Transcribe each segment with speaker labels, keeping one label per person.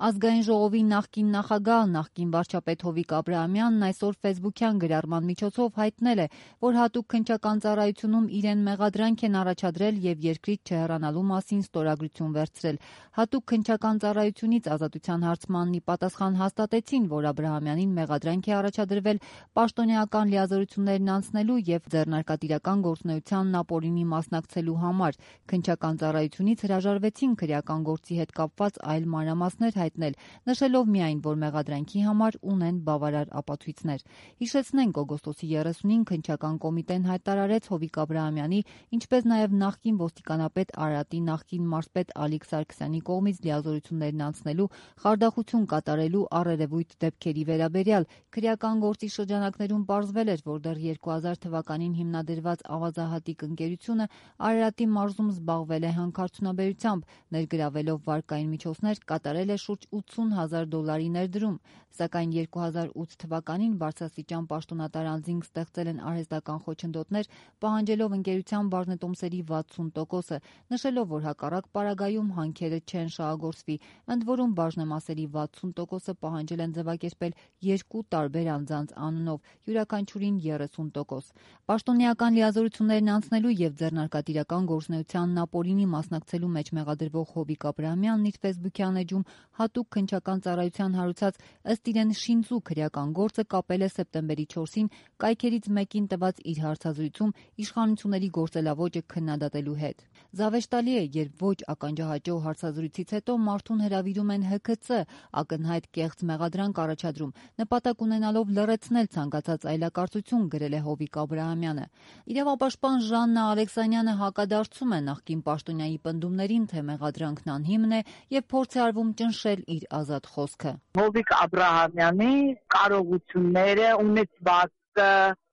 Speaker 1: Ազգային ժողովի նախկին նախագահ, նախկին վարչապետ Հովիկ Աբրահամյանն այսօր ֆեյսբուքյան գրառման միջոցով հայտնել է, որ հատուկ քննչական ծառայությունում իրեն մեղադրանք են առաջադրել եւ երկրից չհեռանալու մասին ստորագրություն վերցրել։ Հատուկ քննչական ծառայությունից ազատության հարցմանն ի պատասխան հաստատեցին, որ Աբրահամյանին մեղադրանք է առաջադրվել պաշտոնեական լիազորություններն անցնելու եւ ձեռնարկատիրական գործունեությանն ապօրինի մասնակցելու համար։ Քննչական ծառայությունից հրաժարվեցին քրեական գործի հետ կապված այլ մանրամասներ հայտնել, նշելով միայն, որ մեղադրանքի համար ունեն բավարար ապացույցներ։ Հիշեցնենք, օգոստոսի 30-ին քննչական կոմիտեն հայտարարեց Հովիկ Աբրահամյանի, ինչպես նաև նախկին ոստիկանապետ Արարատի նախկին մարզպետ Ալիկ Սարգսյանի կողմից լիազորություններն անցնելու, խարդախություն կատարելու առերևույթ դեպքերի վերաբերյալ։ Քրեական գործի շրջանակներում պարզվել էր, որ դեռ 2000 թվականին հիմնադրված ավազահատիկ ընկերությունը Արարատի մարզում զբաղվել է հանքարդյունաբերությամբ, ներգրավելով վարկային միջոցներ կատարել է շուրջ $80,000 ներդրում, սակայն 2008 թվականին բարձրաստիճան պաշտոնատար անձինք ստեղծել են արհեստական խոչընդոտներ, պահանջելով ընկերության բաժնետոմսերի 60%-ը, նշելով, որ հակառակ պարագայում հանքերը չեն շահագործվի, ընդ որում բաժնեմասերի 60%-ը պահանջել են ձևակերպել երկու տարբեր անձանց անունով, յուրաքանչյուրին 30%։ Պաշտոնեական լիազորություններն անցնելու եւ ձեռնարկատիրական գործունեությանն ապօրինի մասնակցելու մեջ մեղադրվող Հովիկ Աբրահամյանն իր ֆեյսբուքյան էջում հատուկ քննչական ծառայության հարուցած ըստ իրեն շինծու քրեական գործը կապել է սեպտեմբերի 4-ին կայքերից մեկին տված իր հարցազրույցում իշխանությունների գործելավոճը քննադատելու հետ։ Զավեշտալի է, երբ ոչ ականջահաճո հարցազրույցից հետո մարդուն հրավիրում են ՀՔՑ, ակնհայտ կեղծ մեղադրանք առաջադրում, նպատակ ունենալով լռեցնել ցանկացած այլակարծություն, գրել է Հովիկ Աբրահամյանը։ Իրավապաշտպան Ժաննա Ալեքսանյանը հակադարձում է նախկին պաշտոնյայի պնդումներին, թե մեղադրանքն անհիմն է եւ փորձ է արվում ճնշել իր ազատ խոսքը։
Speaker 2: Հովիկ Աբրահամյանի կարողությունները, ունեցվածքը,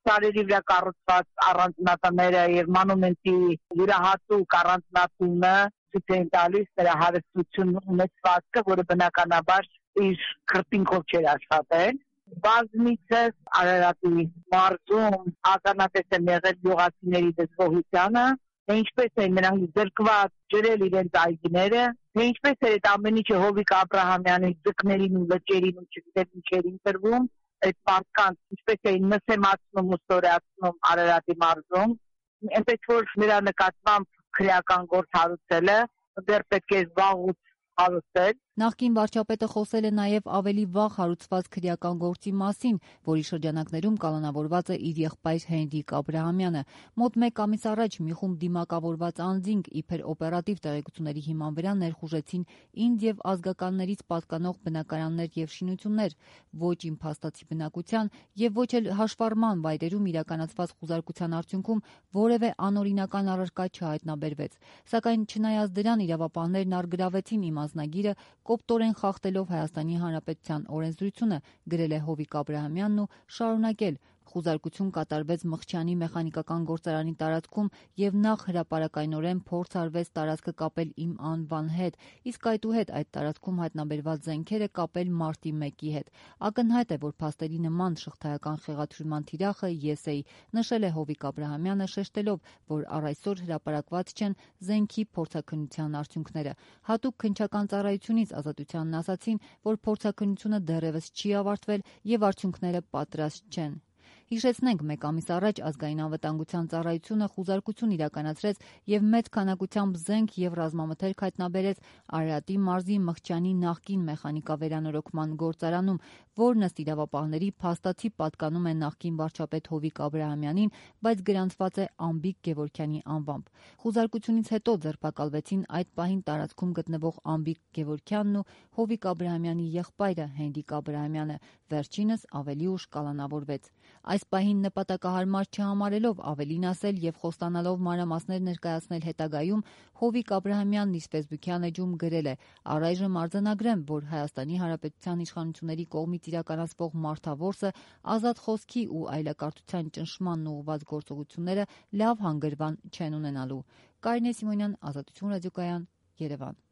Speaker 2: սարերի վրա կառուցված առանձնատները եւ մանումենտի յուրահատուկ առանձնատունը ցույց են տալիս նրա հարստությունն ունեցվածքը, որը բնականաբար իր քրտինքով չէր աշխատել։ Բազմիցս Արարատի մարզում ականատես եմ եղել գյուղացիների դժգոհությանը, թե ինչպես են նրանք զրկված ջրել իրենց այգիները, թե ինչպես էր այդ ամեն ինչը Հովիկ Աբրահամյանի ձկներին ու լճերին ու չգիտեմ ինչերին տրվում, այդ մարդկանց ինչպես էին նսեմացնում ու ստորացնում Արարատի մարզում, այնպես որ նրա նկատմամբ քրեական գործ հարուցելը դեռ պետք է զբաղուց հարուցել։
Speaker 1: Նախկին վարչապետը խոսել է նաև ավելի վաղ հարուցված քրեական գործի մասին, որի շրջանակներում կալանավորված է իր եղբայր Հենրիկ Աբրահամյանը։ Մոտ 1 ամիս առաջ մի խումբ դիմակավորված անձինք իբր օպերատիվ տեղեկությունների հիման վրա ներխուժեցին ինձ եւ ազգականներից պատկանող բնակարաններ եւ շինություններ, ոչ իմ փաստացի բնակության եւ ոչ էլ հաշվառման վայրերում իրականացված խուզարկության արդյունքում որևէ անօրինական առարկա չհայտնաբերվեց։ Սակայն չնայած դրան իրավապահներն առգրավեցին իմ անձնագիրը, կոպտորեն խախտելով Հայաստանի Հանրապետության օրենսդրությունը, գրել է Հովիկ Աբրահամյանն ու շարունակել. Խուզարկություն կատարվեց Մխչյանի մեխանիկական գործարանի տարածքում եւ նախ հրապարակայնորեն փորձ արվեց տարածքը կապել իմ անվան հետ, իսկ այդուհետ այդ տարածքում հայտնաբերված զենքերը կապել մարտի 1-ի հետ։ Ակնհայտ է, որ փաստերի նման շղթայական խեղաթյուրման թիրախը ես էի, նշել է Հովիկ Աբրահամյանը, շեշտելով, որ առ այսօր հրապարակված չեն զենքի փորձաքննության արդյունքները։ Հատուկ քննչական ծառայությունից ազատությանն ասացին, որ փորձաքննությունը դեռևս չի ավարտվել եւ արդյունքները պատրաստ չեն։ Հիշեցնենք, 1 ամիս առաջ ազգային անվտանգության ծառայությունը խուզարկություն իրականացրեց եւ մեծ քանակությամբ զենք եւ ռազմամթերք հայտնաբերեց Արարատի մարզի Մխչյանի նախկին մեխանիկավերանորոգման գործարանում, որն ըստ իրավապահների փաստացի պատկանում է նախկին վարչապետ Հովիկ Աբրահամյանին, բայց գրանցված է Անբիկ Գևորգյանի անվամբ։ Խուզարկությունից հետո ձերբակալվեցին այդ պահին տարածքում գտնվող Անբիկ Գևորգյանն ու Հովիկ Աբրահամյանի եղբայրը Հենրիկ Աբրահամյանը, վերջինս ավելի ուշ կալանավորվեց։ Այս պահին նպատակահարմար չհամարելով ավելին ասել եւ խոստանալով մանրամասներ ներկայացնել հետագայում, Հովիկ Աբրահամյանն իր ֆեյսբուքյան էջում գրել է. «Առայժմ արձանագրեմ, որ Հայաստանի Հանրապետության իշխանությունների կողմից իրականացվող մարդավորսը, ազատ խոսքի ու այլակարծության ճնշմանն ուղղված գործողությունները լավ հանգրվան չեն ունենալու»։ Կարինե Սիմոնյան, Ազատություն ռադիոկայան, Երևան։